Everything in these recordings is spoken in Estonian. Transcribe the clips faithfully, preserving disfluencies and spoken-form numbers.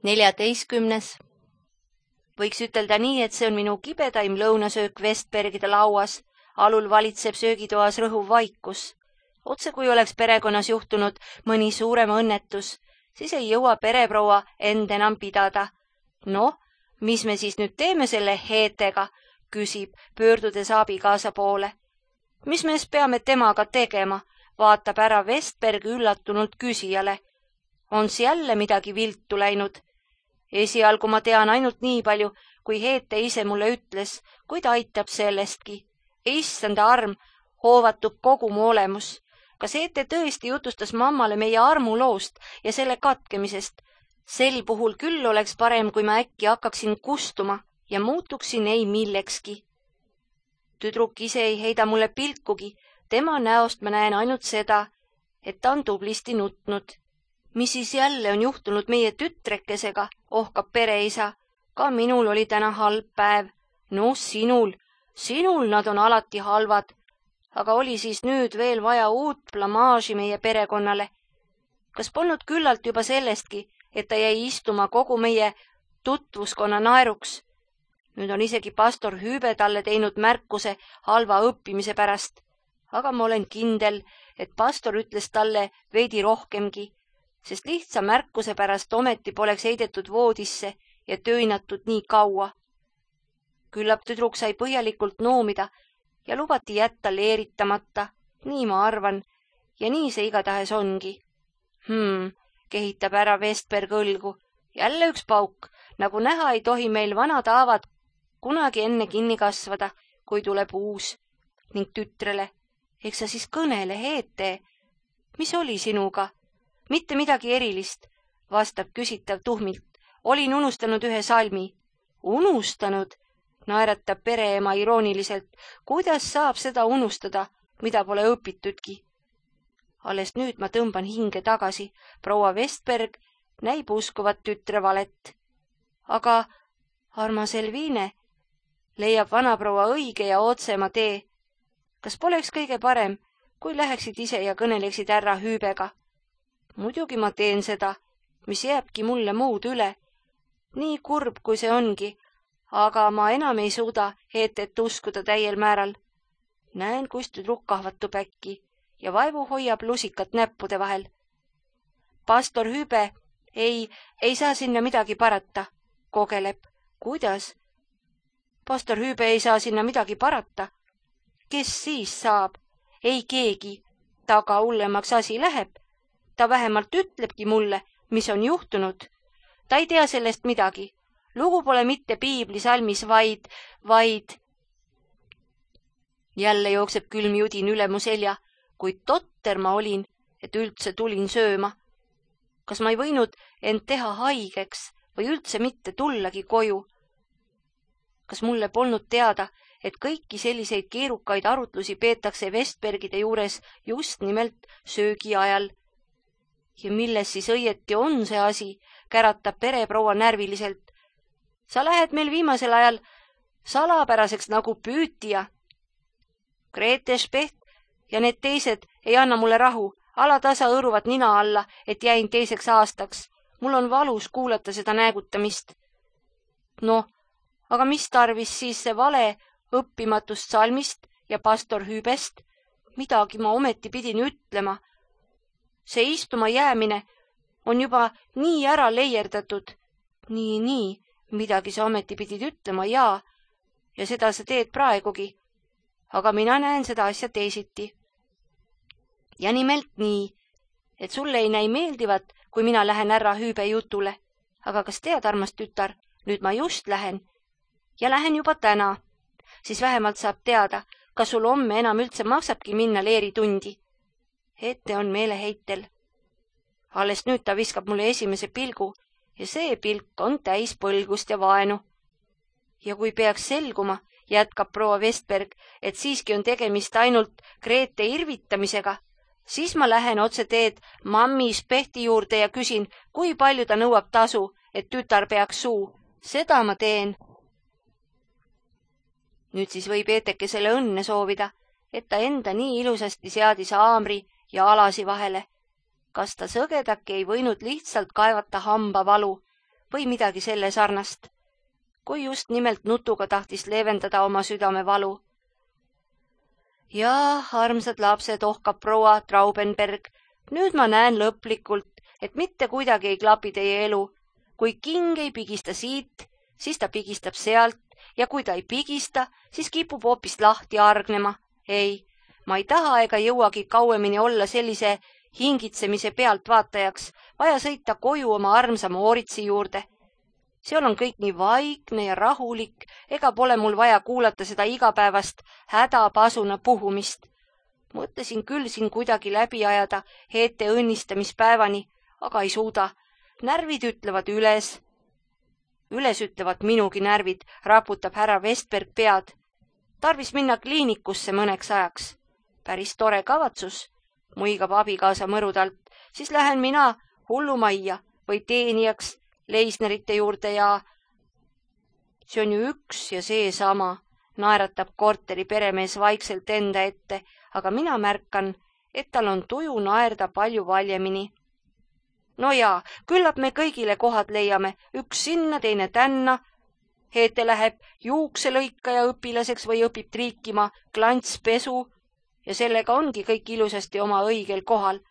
neljateistkümnes. Võiks ütelda nii, et see on minu kibedaim lõunasöök Vestbergide lauas. Alul valitseb söögitoas rõhuv vaikus. Otse kui oleks perekonnas juhtunud mõni suurem õnnetus, siis ei jõua pereproua end enam pidada. Noh, mis me siis nüüd teeme selle heetega, küsib, pöördudes abikaasa poole. Mis me peame temaga tegema, vaatab ära Vestberg üllatunult küsijale. On jälle midagi viltu läinud? Esialgu ma tean ainult nii palju, kui Heete ise mulle ütles, kuid aitab sellestki. Issanda arm hoovatub kogu mu olemus. Kas Heete tõesti jutustas mammale meie armuloost ja selle katkemisest? Sel puhul küll oleks parem, kui ma äkki hakkaksin kustuma ja muutuksin ei millekski. Tüdruk ise ei heida mulle pilkugi, tema näost ma näen ainult seda, et ta on tublisti nutnud. Mis siis jälle on juhtunud meie tütrekesega, ohkab pereisa. Ka minul oli täna halb päev. No sinul, sinul nad on alati halvad. Aga oli siis nüüd veel vaja uut blamaaži meie perekonnale. Kas polnud küllalt juba sellestki, et ta jäi istuma kogu meie tutvuskonna naeruks? Nüüd on isegi pastor Hüübe talle teinud märkuse halva õppimise pärast. Aga ma olen kindel, et pastor ütles talle veidi rohkemgi, sest lihtsa märkuse pärast ometi poleks heidetud voodisse ja tööinatud nii kaua. Küllap tüdruk sai põhjalikult noomida ja lubati jätta leeritamata, nii ma arvan, ja nii see igatahes ongi. Hmm, kehitab ära Vestberg õlgu. Jälle üks pauk, nagu näha ei tohi meil vanad haavad kunagi enne kinni kasvada, kui tuleb uus. Ning tütrele, eks sa siis kõnele, Heete, mis oli sinuga? Mitte midagi erilist, vastab küsitav tuhmilt. Olin unustanud ühe salmi. Unustanud? Naeratab pereema irooniliselt. Kuidas saab seda unustada, mida pole õpitudki? Alles nüüd ma tõmban hinge tagasi. Proua Vestberg näib uskuvat tütre valet. Aga, armas Elvine, leiab vanaproua õige ja otsema tee. Kas poleks kõige parem, kui läheksid ise ja kõneleksid härra Hüübega? Muidugi ma teen seda, mis jääbki mulle muud üle. Nii kurb, kui see ongi, aga ma enam ei suuda Heetet uskuda täiel määral. Näen, kus tüdruk kahvatub äkki ja vaevu hoiab lusikat näppude vahel. Pastor Hüübe ei, ei saa sinna midagi parata, kogeleb. Kuidas? Pastor Hüübe ei saa sinna midagi parata. Kes siis saab? Ei keegi. Taga hullemaks asi läheb. Ta vähemalt ütlebki mulle, mis on juhtunud. Ta ei tea sellest midagi. Lugu pole mitte piiblisalmis, vaid, vaid... Jälle jookseb külm judin üle mu selja, kuid totter ma olin, et üldse tulin sööma. Kas ma ei võinud end teha haigeks või üldse mitte tullagi koju? Kas mulle polnud teada, et kõiki selliseid keerukaid arutlusi peetakse Vestbergide juures just nimelt söögi ajal? Ja milles siis õieti on see asi, käratab pereproua närviliselt. Sa lähed meil viimasel ajal salapäraseks nagu püütija. Grete Specht ja need teised ei anna mulle rahu, alatasa õõruvad nina alla, et jäin teiseks aastaks. Mul on valus kuulata seda näägutamist. Noh, aga mis tarvis siis see vale õppimatust salmist ja pastor Hüübest? Midagi ma ometi pidin ütlema. See istuma jäämine on juba nii ära leierdatud. Nii, nii, midagi sa ometi pidid ütlema, jaa, ja seda sa teed praegugi. Aga mina näen seda asja teisiti. Ja nimelt nii, et sulle ei näi meeldivat, kui mina lähen härra Hüübe jutule. Aga kas tead, armas tütar, nüüd ma just lähen. Ja lähen juba täna. Siis vähemalt saab teada, kas sul homme enam üldse maksabki minna leeritundi. Ette on meeleheitel. Alles nüüd ta viskab mulle esimese pilgu ja see pilk on täis põlgust ja vaenu. Ja kui peaks selguma, jätkab proua Vestberg, et siiski on tegemist ainult Grete irvitamisega, siis ma lähen otse teed mammi Spehti juurde ja küsin, kui palju ta nõuab tasu, et tütar peaks suu. Seda ma teen. Nüüd siis võib Eetekesele õnne soovida, et ta enda nii ilusasti seadis haamri ja alasi vahele. Kas ta sõgedaki ei võinud lihtsalt kaevata hambavalu või midagi selle sarnast, kui just nimelt nutuga tahtis leevendada oma südamevalu. Jaa, armsad lapsed, ohkab proua Traubenberg, nüüd ma näen lõplikult, et mitte kuidagi ei klapi teie elu. Kui king ei pigista siit, siis ta pigistab sealt ja kui ta ei pigista, siis kipub hoopis lahti argnema. Ei, ma ei taha ega jõuagi kauemini olla sellise hingitsemise pealt vaatajaks, vaja sõita koju oma armsa Mooritsi juurde. Seal on kõik nii vaikne ja rahulik, ega pole mul vaja kuulata seda igapäevast hädapasuna puhumist. Mõtlesin küll siin kuidagi läbi ajada Heete õnnistamispäevani, aga ei suuda. Närvid ütlevad üles. Üles ütlevad minugi närvid, raputab härra Vestberg pead. Tarvis minna kliinikusse mõneks ajaks. Päris tore kavatsus, muigab abikaasa mõrudalt, siis lähen mina hullumajja või teenijaks Leisnerite juurde ja see on ju üks ja see sama, naeratab korteri peremees vaikselt enda ette, aga mina märkan, et tal on tuju naerda palju valjemini. No jaa, küllap me kõigile kohad leiame, üks sinna, teine tänna. Heete läheb juukselõikaja õpilaseks või õpib triikima klantspesu ja sellega ongi kõik ilusasti oma õigel kohal.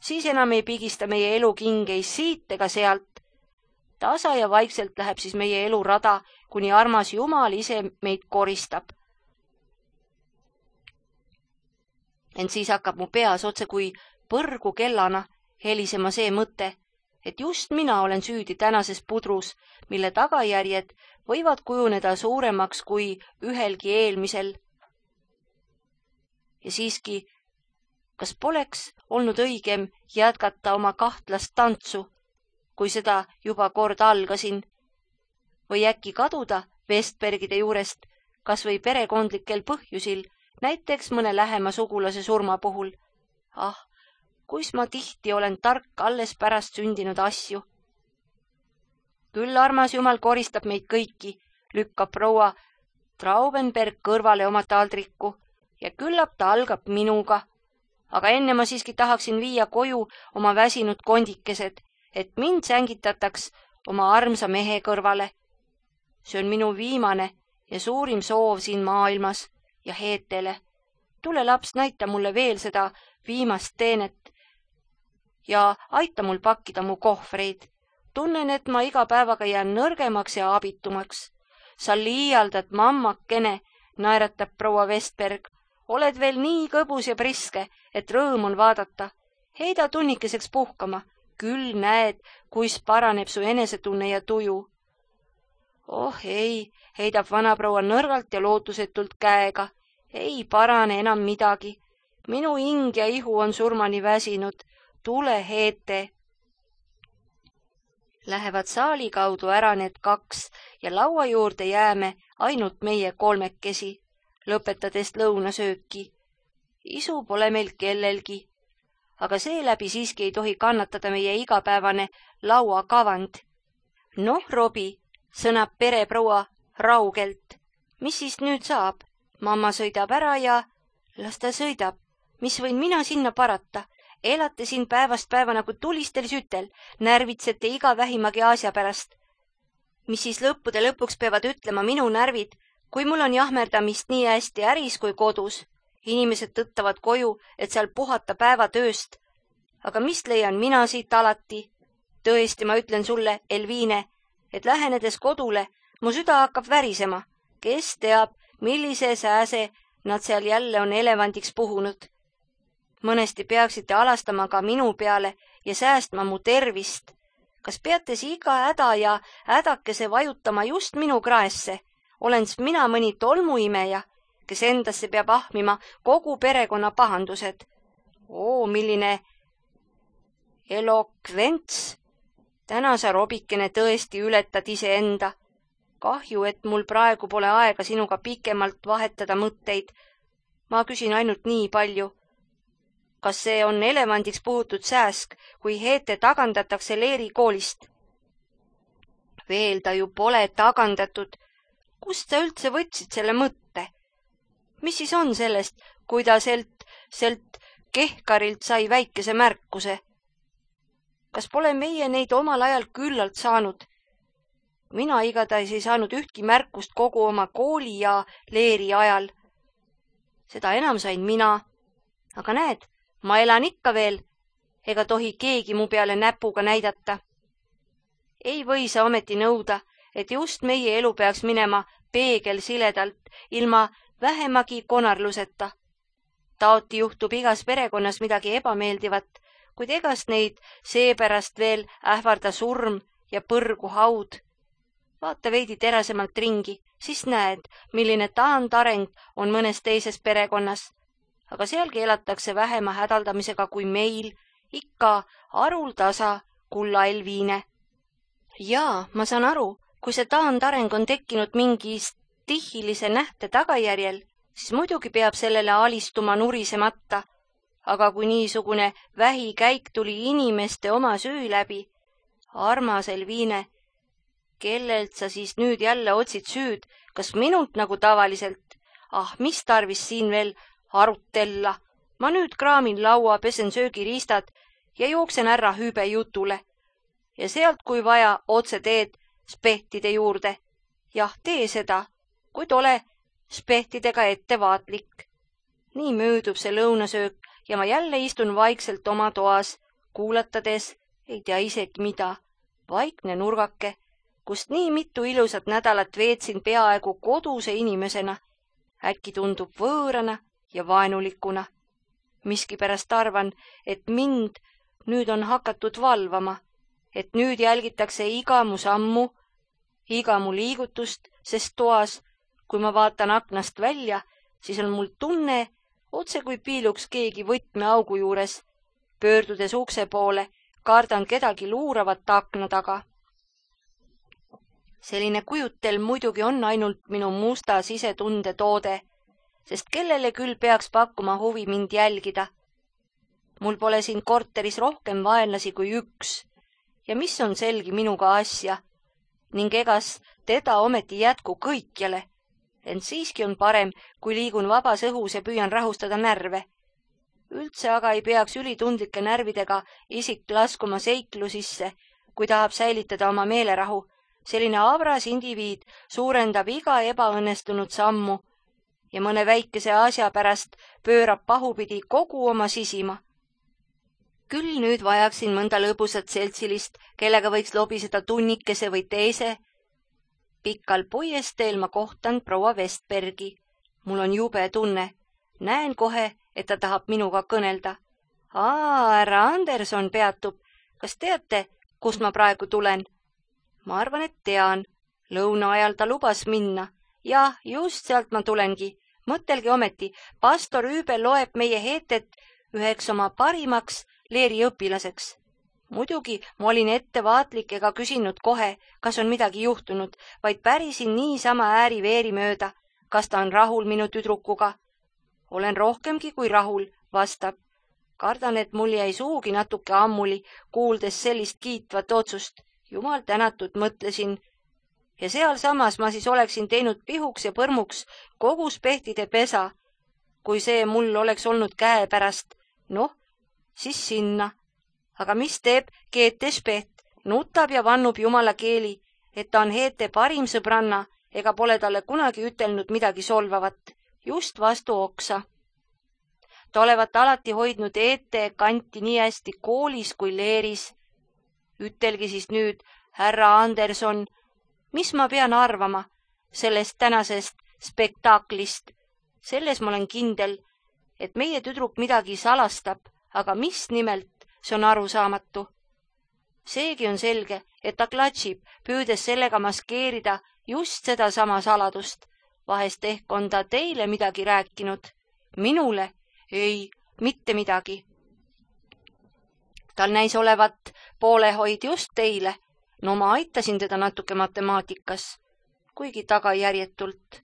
Siis enam ei pigista meie elu kingeis siit ega sealt. Tasa ja vaikselt läheb siis meie elu rada, kuni armas Jumal ise meid koristab. Ent siis hakkab mu peas otse kui põrgu kellana helisema see mõte, et just mina olen süüdi tänases pudrus, mille tagajärjed võivad kujuneda suuremaks kui ühelgi eelmisel. Ja siiski, kas poleks olnud õigem jätkata oma kahtlast tantsu, kui seda juba kord algasin, või äkki kaduda Vestbergide juurest, kas või perekondlikel põhjusil, näiteks mõne lähema sugulase surma puhul. Ah, kuis ma tihti olen tark alles pärast sündinud asju. Küll armas Jumal koristab meid kõiki, lükkab proua Traubenberg kõrvale oma taldriku ja küllap ta algab minuga. Aga enne ma siiski tahaksin viia koju oma väsinud kondikesed, et mind sängitataks oma armsa mehe kõrvale. See on minu viimane ja suurim soov siin maailmas ja Heetele. Tule laps, näita mulle veel seda viimast teenet ja aita mul pakkida mu kohvreid. Tunnen, et ma iga päevaga jään nõrgemaks ja abitumaks. Sa liialdad, mammakene, naeratab proua Vestberg. Oled veel nii kõbus ja priske, et rõõm on vaadata. Heida tunnikeseks puhkama. Küll näed, kuis paraneb su enesetunne ja tuju. Oh ei, heidab vanaproua nõrgalt ja lootusetult käega. Ei parane enam midagi. Minu hing ja ihu on surmani väsinud. Tule, Heete. Lähevad saali kaudu ära need kaks ja laua juurde jääme ainult meie kolmekesi, lõpetades lõunasööki. Isu pole meil kellelgi, aga seeläbi siiski ei tohi kannatada meie igapäevane lauakavand. Noh, Robi, sõnab pereproua raugelt. Mis siis nüüd saab? Mamma sõidab ära ja... Las ta sõidab. Mis võin mina sinna parata? Elate siin päevast päeva nagu tulistel sütel, närvitsete iga vähimagi asja pärast. Mis siis lõppude lõpuks peavad ütlema minu närvid, kui mul on jahmerdamist nii hästi äris kui kodus. Inimesed tõttavad koju, et seal puhata päeva tööst. Aga mis leian mina siit alati? Tõesti, ma ütlen sulle, Elviine, et lähenedes kodule, mu süda hakkab värisema. Kes teab, millise sääse nad seal jälle on elevandiks puhunud. Mõnesti peaksite alastama ka minu peale ja säästma mu tervist. Kas peate iga häda ja hädakese vajutama just minu kraesse? Olen mina mõni tolmuimeja, kes endasse peab ahmima kogu perekonna pahandused. Oo, milline elokvents! Täna sa, Robikene, tõesti ületad iseenda. Kahju, et mul praegu pole aega sinuga pikemalt vahetada mõtteid. Ma küsin ainult nii palju. Kas see on elevandiks puhutud sääsk, kui Heete tagandatakse Leeri koolist? Veel ta ju pole tagandatud. Kust sa üldse võtsid selle mõtte? Mis siis on sellest, kui ta selt, selt kehkarilt sai väikese märkuse? Kas pole meie neid omal ajal küllalt saanud? Mina igatahes ei saanud ühtki märkust kogu oma kooli ja leeri ajal. Seda enam sain mina. Aga näed, ma elan ikka veel, ega tohi keegi mu peale näpuga näidata. Ei või sa ometi nõuda, et just meie elu peaks minema peegelsiledalt, ilma vähemagi konarluseta. Taoti juhtub igas perekonnas midagi ebameeldivat, kuid egast neid seepärast veel ähvarda surm ja põrgu haud. Vaata veidi terasemalt ringi, siis näed, milline taandareng on mõnes teises perekonnas. Aga sealgi elatakse vähema hädaldamisega kui meil, ikka haruldasa kulla Elviine. Jaa, ma saan aru, kui see taandareng on tekkinud mingi stihilise nähte tagajärjel, siis muidugi peab sellele alistuma nurisemata. Aga kui niisugune vähikäik tuli inimeste oma süü läbi, armas Elviine, kellelt sa siis nüüd jälle otsid süüd, kas minult nagu tavaliselt? Ah, mis tarvis siin veel arutella? Ma nüüd kraamin laua, pesen söögiriistad ja jooksen ära hüübe jutule. Ja sealt, kui vaja, otse teed spehtide juurde. Jah, tee seda, kuid ole spehtidega ettevaatlik. Nii möödub see lõunasöök ja ma jälle istun vaikselt oma toas, kuulatades, ei tea isegi mida, vaikne nurgake, kust nii mitu ilusat nädalat veetsin peaaegu koduse inimesena. Äkki tundub võõrana ja vaenulikuna. Miskipärast arvan, et mind nüüd on hakatud valvama, et nüüd jälgitakse iga mu sammu, iga mu liigutust, sest toas, kui ma vaatan aknast välja, siis on mul tunne, otse kui piiluks keegi võtmeaugu juures. Pöördudes ukse poole, kardan kedagi luuravat akna taga. Selline kujutel muidugi on ainult minu musta sisetunde toode, sest kellele küll peaks pakkuma huvi mind jälgida. Mul pole siin korteris rohkem vaenlasi kui üks ja mis on selgi minuga asja ning egas teda ometi jätku kõikjale, ent siiski on parem, kui liigun vabas õhus ja püüan rahustada närve. Üldse aga ei peaks ülitundlike närvidega isik laskuma seiklu sisse, kui tahab säilitada oma meelerahu. Selline avras indiviid suurendab iga ebaõnnestunud sammu ja mõne väikese asja pärast pöörab pahupidi kogu oma sisima. Küll nüüd vajaksin mõnda lõbusat seltsilist, kellega võiks lobiseda tunnikese või teise. Pikkal puiesteel ma kohtan proua Vestbergi. Mul on jube tunne. Näen kohe, et ta tahab minuga kõnelda. Aa, härra Anderson peatub. Kas teate, kust ma praegu tulen? Ma arvan, et tean. Lõuna ajal ta lubas minna. Jah, just sealt ma tulengi. Mõtelge ometi, pastor Üübe loeb meie heetet üheks oma parimaks leeri õpilaseks. Muidugi ma olin ettevaatlik ega küsinud kohe, kas on midagi juhtunud, vaid pärisin niisama ääri-veeri mööda, kas ta on rahul minu tüdrukuga. Olen rohkemgi kui rahul, vastab. Kardan, et mul jäi suugi natuke ammuli, kuuldes sellist kiitvat otsust. Jumal tänatud, mõtlesin. Ja sealsamas ma siis oleksin teinud pihuks ja põrmuks kogu spehtide pesa, kui see mul oleks olnud käe pärast. Noh, siis sinna. Aga mis teeb Geete Speht? Nutab ja vannub jumala keeli, et ta on Heete parim sõbranna ega pole talle kunagi ütelnud midagi solvavat, just vastu oksa. Ta olevat alati hoidnud Heete kanti nii hästi koolis kui leeris. Ütelgi siis nüüd, härra Anderson, mis ma pean arvama sellest tänasest spektaaklist? Selles ma olen kindel, et meie tüdruk midagi salastab, aga mis nimelt, see on arusaamatu. Seegi on selge, et ta klatšib, püüdes sellega maskeerida just seda sama saladust. Vahest ehk on ta teile midagi rääkinud. Minule? Ei, mitte midagi. Tal näis olevat poolehoid just teile. No ma aitasin teda natuke matemaatikas, kuigi tagajärjetult.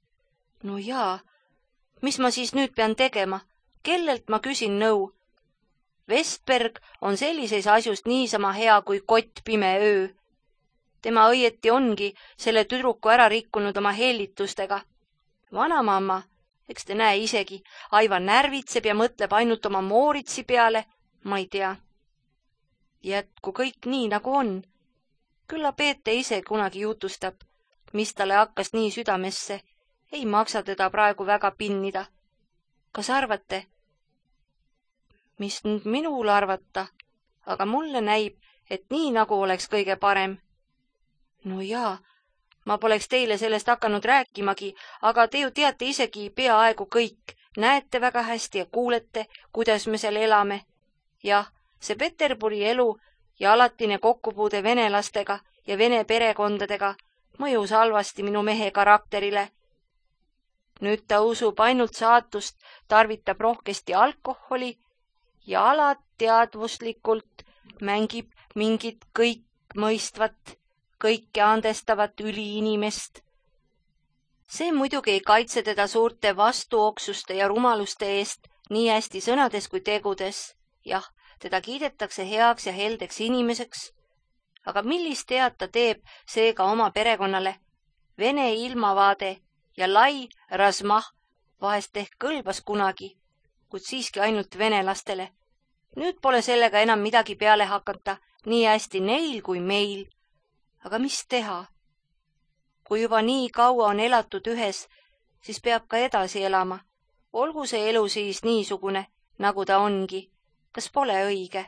No jaa, mis ma siis nüüd pean tegema? Kellelt ma küsin nõu? Vestberg on sellises asjust niisama hea kui kott pime öö. Tema õieti ongi selle tüdruku ära rikkunud oma hellitustega. Vanamamma, eks te näe isegi, aivan närvitseb ja mõtleb ainult oma Mooritsi peale, ma ei tea. Jätku kõik nii, nagu on. Külla Peete ise kunagi jutustab, mis talle hakkas nii südamesse. Ei maksa teda praegu väga pinnida. Kas arvate? Mis nüüd minul arvata? Aga mulle näib, et nii nagu oleks kõige parem. No jaa, ma poleks teile sellest hakanud rääkimagi, aga te ju teate isegi peaaegu kõik. Näete väga hästi ja kuulete, kuidas me seal elame. Jah, see Peterburi elu ja alatine kokkupuude venelastega ja vene perekondadega mõjus halvasti minu mehe karakterile. Nüüd ta usub ainult saatust, tarvitab rohkesti alkoholi ja alateadvuslikult mängib mingit kõik mõistvat, kõike andestavat üliinimest. See muidugi ei kaitse teda suurte vastuoksuste ja rumaluste eest nii hästi sõnades kui tegudes. Jah, teda kiidetakse heaks ja heldeks inimeseks. Aga millist head ta teeb seega oma perekonnale? Vene ilmavaade ja lai rasmah vahest ehk kõlbas kunagi, kuid siiski ainult venelastele. Nüüd pole sellega enam midagi peale hakata, nii hästi neil kui meil. Aga mis teha? Kui juba nii kaua on elatud ühes, siis peab ka edasi elama. Olgu see elu siis niisugune, nagu ta ongi. Kas pole õige?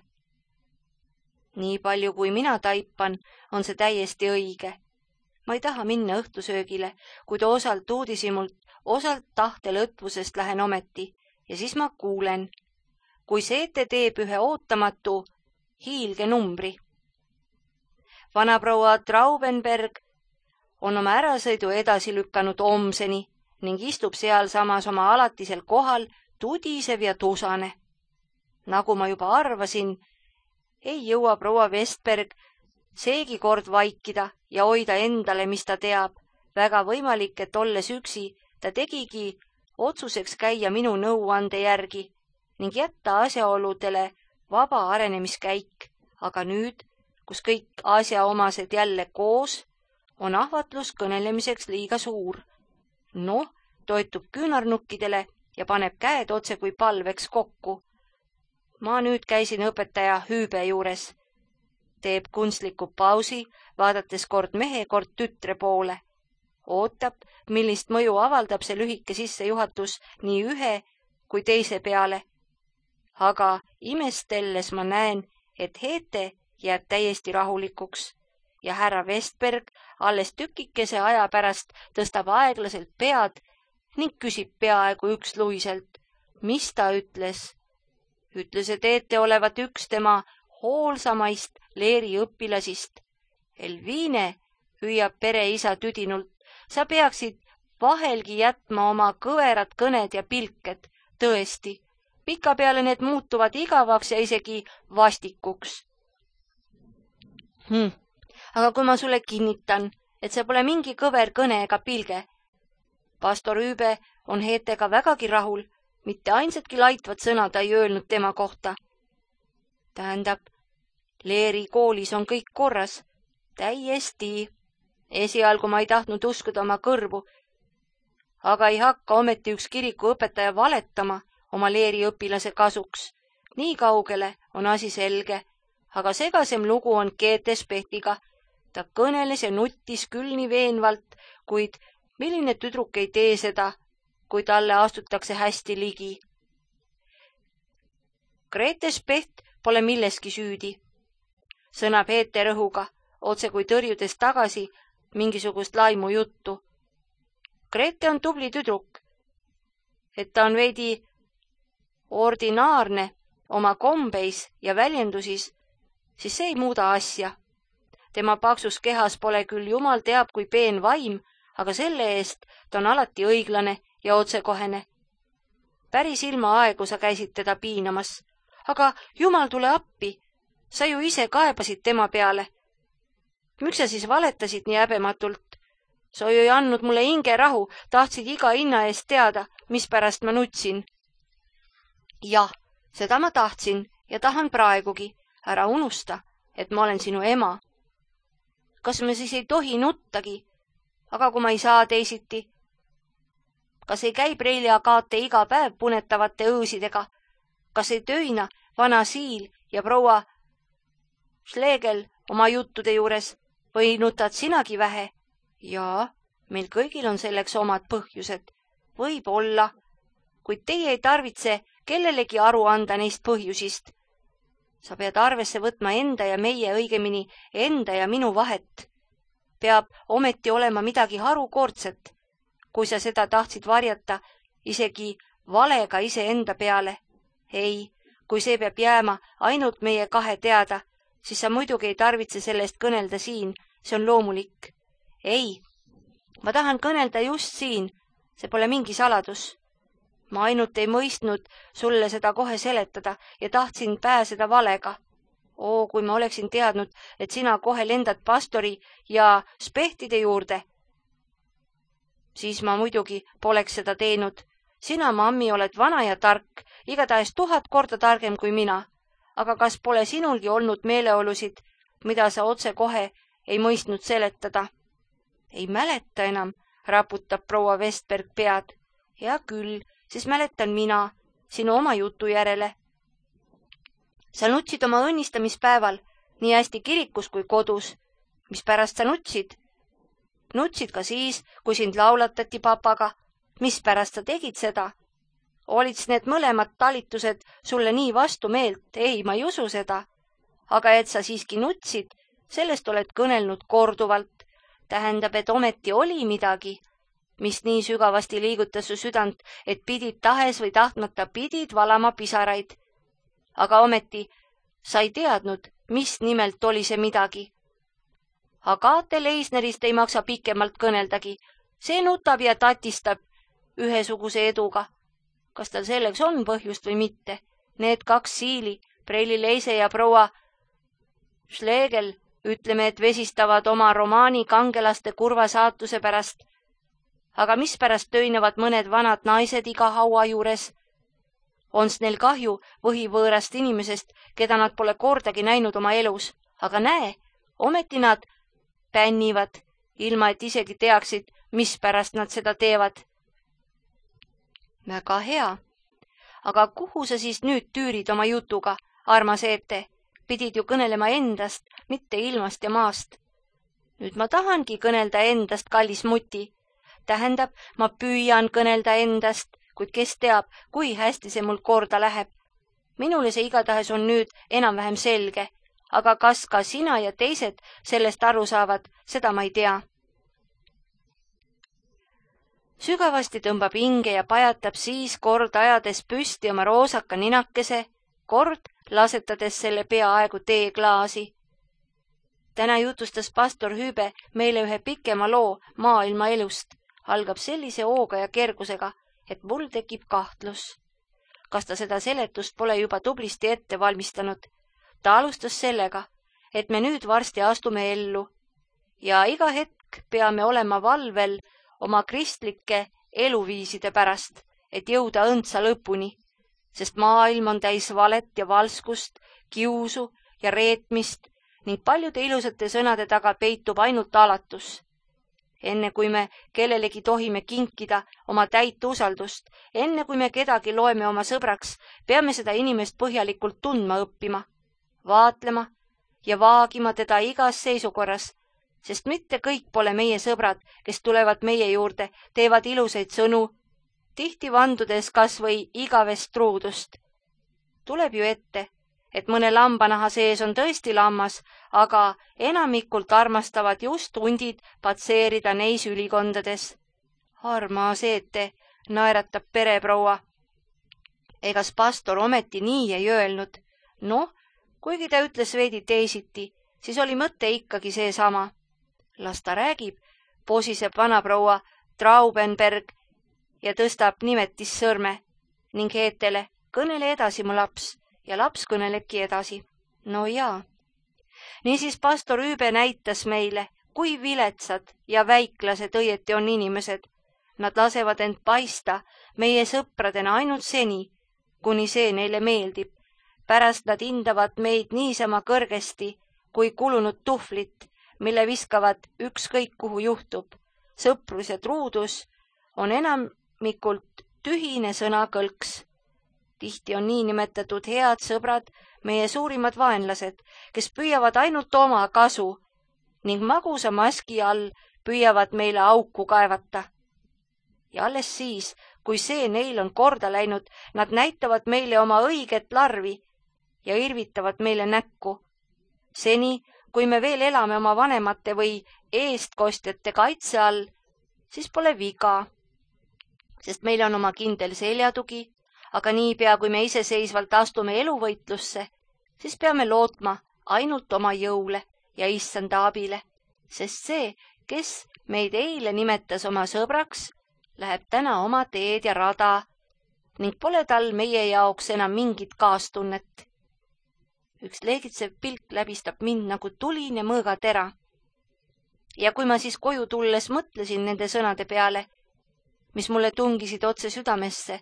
Nii palju kui mina taipan, on see täiesti õige. Ma ei taha minna õhtusöögile, kuid osalt uudishimult, osalt tahtelõtvusest lähen ometi ja siis ma kuulen, kui Seete teeb ühe ootamatu hiilge numbri. Vanaproua Traubenberg on oma ärasõidu edasi lükanud homseni ning istub seal samas oma alatisel kohal tudisev ja tusane. Nagu ma juba arvasin, ei jõua proua Vestberg seegi kord vaikida ja hoida endale, mis ta teab. Väga võimalik, et olles üksi, ta tegigi otsuseks käia minu nõuande järgi ning jätta asjaoludele vaba arenemiskäik. Aga nüüd, kus kõik asjaomased jälle koos, on ahvatlus kõnelemiseks liiga suur. Noh, toetub küünarnukkidele ja paneb käed otse kui palveks kokku. Ma nüüd käisin õpetaja Hüübe juures. Teeb kunstliku pausi, vaadates kord mehe, kord tütre poole. Ootab, millist mõju avaldab see lühike sissejuhatus nii ühe kui teise peale. Aga imestelles ma näen, et Heete jääb täiesti rahulikuks ja härra Vestberg alles tükikese aja pärast tõstab aeglaselt pead ning küsib peaaegu üksluiselt, mis ta ütles. Ütles, et Heete olevat üks tema hoolsamaist leeri õpilasist. Elviine, hüüab pereisa tüdinult, sa peaksid vahelgi jätma oma kõverad kõned ja pilked. Tõesti, pikapeale need muutuvad igavaks ja isegi vastikuks. Hm. Aga kui ma sulle kinnitan, et see pole mingi kõver kõne ega pilge. Pastor Hüübe on Heetega vägagi rahul, mitte ainsatki laitvat sõna ta ei öelnud tema kohta. Tähendab, leeri koolis on kõik korras. Täiesti. Esialgu ma ei tahtnud uskuda oma kõrvu, aga ei hakka ometi üks kirikuõpetaja valetama oma leeri õpilase kasuks. Nii kaugele on asi selge, aga segasem lugu on Keete Spehtiga. Ta kõneles ja nuttis küll nii veenvalt, kuid milline tüdruk ei tee seda, kui talle astutakse hästi ligi. Grete Specht pole milleski süüdi, sõnab Heete rõhuga, otse kui tõrjudes tagasi mingisugust laimu juttu. Grete on tubli tüdruk, et ta on veidi ordinaarne oma kombeis ja väljendusis, siis see ei muuda asja. Tema paksus kehas pole küll jumal teab kui peen vaim, aga selle eest ta on alati õiglane ja otsekohene. Päris ilma aegu sa käisid teda piinamas, aga jumal tule appi, sa ju ise kaebasid tema peale. Miks sa siis valetasid nii häbematult? Sa ju ei andnud mulle hinge rahu, tahtsid iga hinna eest teada, mispärast ma nutsin. Jah, seda ma tahtsin ja tahan praegugi. Ära unusta, et ma olen sinu ema. Kas me siis ei tohi nuttagi? Aga kui ma ei saa teisiti? Kas ei käi Preili Agate iga päev punetavate õõsidega? Kas ei töina vana Siil ja proua Schlegel oma juttude juures või nutad sinagi vähe? Jaa, meil kõigil on selleks omad põhjused. Võib olla, kuid teie ei tarvitse kellelegi aru anda neist põhjusist. Sa pead arvesse võtma enda ja meie, õigemini enda ja minu vahet. Peab ometi olema midagi harukordset, kui sa seda tahtsid varjata isegi valega iseenda peale. Ei, kui see peab jääma ainult meie kahe teada, siis sa muidugi ei tarvitse sellest kõnelda siin, see on loomulik. Ei, ma tahan kõnelda just siin, see pole mingi saladus. Ma ainult ei mõistnud sulle seda kohe seletada ja tahtsin pääseda valega. Oo, kui ma oleksin teadnud, et sina kohe lendad pastori ja spehtide juurde, siis ma muidugi poleks seda teinud. Sina, mammi, oled vana ja tark, igatahes tuhat korda targem kui mina. Aga kas pole sinulgi olnud meeleolusid, mida sa otse kohe ei mõistnud seletada? Ei mäleta enam, raputab proua Vestberg pead. Hea küll, siis mäletan mina, sinu oma jutu järele. Sa nutsid oma õnnistamispäeval, nii hästi kirikus kui kodus. Mis pärast sa nutsid? Nutsid ka siis, kui sind laulatati papaga. Mis pärast sa tegid seda? Olid need mõlemad talitused sulle nii vastu meelt? Ei, ma ei usu seda. Aga et sa siiski nutsid, sellest oled kõnelnud korduvalt. Tähendab, et ometi oli midagi, mis nii sügavasti liigutas su südant, et pidid tahes või tahtmata pidid valama pisaraid. Aga ometi sa ei teadnud, mis nimelt oli see midagi. Agate Leisnerist ei maksa pikemalt kõneldagi. See nutab ja tatistab ühesuguse eduga. Kas tal selleks on põhjust või mitte? Need kaks siili, Preili Leise ja proua Schlegel, ütleme, et vesistavad oma romaani kangelaste kurva saatuse pärast. Aga mis pärast töinevad mõned vanad naised iga haua juures? Ons neil kahju võhivõõrast inimesest, keda nad pole kordagi näinud oma elus. Aga näe, ometi nad pännivad, ilma et isegi teaksid, mis pärast nad seda teevad. Väga hea. Aga kuhu sa siis nüüd tüürid oma jutuga, armas Eete? Pidid ju kõnelema endast, mitte ilmast ja maast. Nüüd ma tahangi kõnelda endast, kallis muti. Tähendab, ma püüan kõnelda endast, kuid kes teab, kui hästi see mul korda läheb. Minule see igatahes on nüüd enam-vähem selge, aga kas ka sina ja teised sellest aru saavad, seda ma ei tea. Sügavasti tõmbab hinge ja pajatab siis kord ajades püsti oma roosaka ninakese, kord lasetades selle peaaegu teeklaasi. Täna jutustas pastor Hüübe meile ühe pikema loo maailma elust. Algab sellise hooga ja kergusega, et mul tekib kahtlus. Kas ta seda seletust pole juba tublisti ette valmistanud? Ta alustas sellega, et me nüüd varsti astume ellu ja iga hetk peame olema valvel oma kristlike eluviiside pärast, et jõuda õndsa lõpuni, sest maailm on täis valet ja valskust, kiusu ja reetmist ning paljude ilusate sõnade taga peitub ainult alatus. Enne kui me kellelegi tohime kinkida oma täit usaldust, enne kui me kedagi loeme oma sõbraks, peame seda inimest põhjalikult tundma õppima, vaatlema ja vaagima teda igas seisukorras, sest mitte kõik pole meie sõbrad, kes tulevad meie juurde, teevad ilusaid sõnu, tihti vandudes kas või igavest truudust. Tuleb ju ette, et mõne lambanaha sees on tõesti lammas, aga enamikult armastavad just hundid patseerida neis ülikondades. Armas Eete, naeratab pereproua. Egas pastor ometi nii ei öelnud. Noh, kuigi ta ütles veidi teisiti, siis oli mõte ikkagi seesama. Las ta räägib, posiseb vanaproua Traubenberg ja tõstab nimetis sõrme ning Eetele, kõnele edasi, mu laps. Ja laps kõnelebki edasi. No jaa. Niisiis pastor Hüübe näitas meile, kui viletsad ja väiklased õieti on inimesed. Nad lasevad end paista meie sõpradena ainult seni, kuni see neile meeldib. Pärast nad hindavad meid niisama kõrgesti kui kulunud tuhvlit, mille viskavad ükskõik kuhu juhtub. Sõprus ja truudus on enamikult tühine sõnakõlks. Tihti on nii nimetatud head sõbrad meie suurimad vaenlased, kes püüavad ainult oma kasu ning magusa maski all püüavad meile auku kaevata. Ja alles siis, kui see neil on korda läinud, nad näitavad meile oma õiget larvi ja irvitavad meile näkku. Seni, kui me veel elame oma vanemate või eestkostjate kaitse all, siis pole viga, sest meil on oma kindel seljatugi, aga niipea, kui me iseseisvalt astume eluvõitlusse, siis peame lootma ainult oma jõule ja issanda abile, sest see, kes meid eile nimetas oma sõbraks, läheb täna oma teed ja rada ning pole tal meie jaoks enam mingit kaastunnet. Üks leegitsev pilk läbistab mind nagu tuline mõõgatera. Ja kui ma siis koju tulles mõtlesin nende sõnade peale, mis mulle tungisid otse südamesse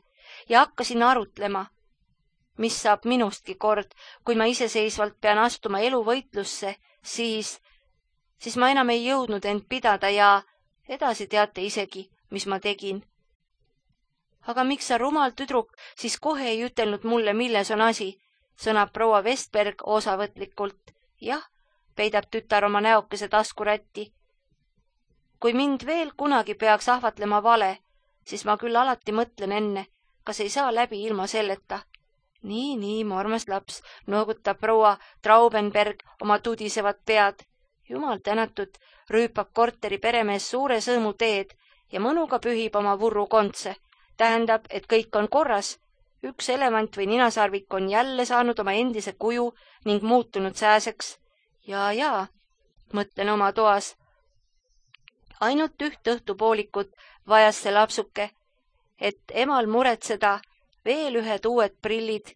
ja hakkasin arutlema, mis saab minustki kord, kui ma iseseisvalt pean astuma eluvõitlusse, siis, siis ma enam ei jõudnud end pidada ja edasi teate isegi, mis ma tegin. Aga miks sa rumal tüdruk siis kohe ei ütelnud mulle, milles on asi, sõnab proua Vestberg osavõtlikult. Jah, peidab tütar oma näokese taskurätti. Kui mind veel kunagi peaks ahvatlema vale, siis ma küll alati mõtlen enne, kas ei saa läbi ilma selleta. Nii, nii, mu armas laps, noogutab proua Traubenberg oma tudisevat pead. Jumal tänatud, rüüpab korteri peremees suure sõõmu teed ja mõnuga pühib oma vurru kontse. Tähendab, et kõik on korras. Üks elevant või ninasarvik on jälle saanud oma endise kuju ning muutunud sääseks. Ja, ja, mõtlen oma toas. Ainult üht õhtupoolikut vajas see lapsuke, et emal muretseda veel ühed uued prillid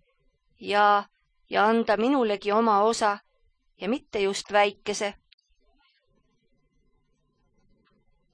ja, ja anda minulegi oma osa ja mitte just väikese.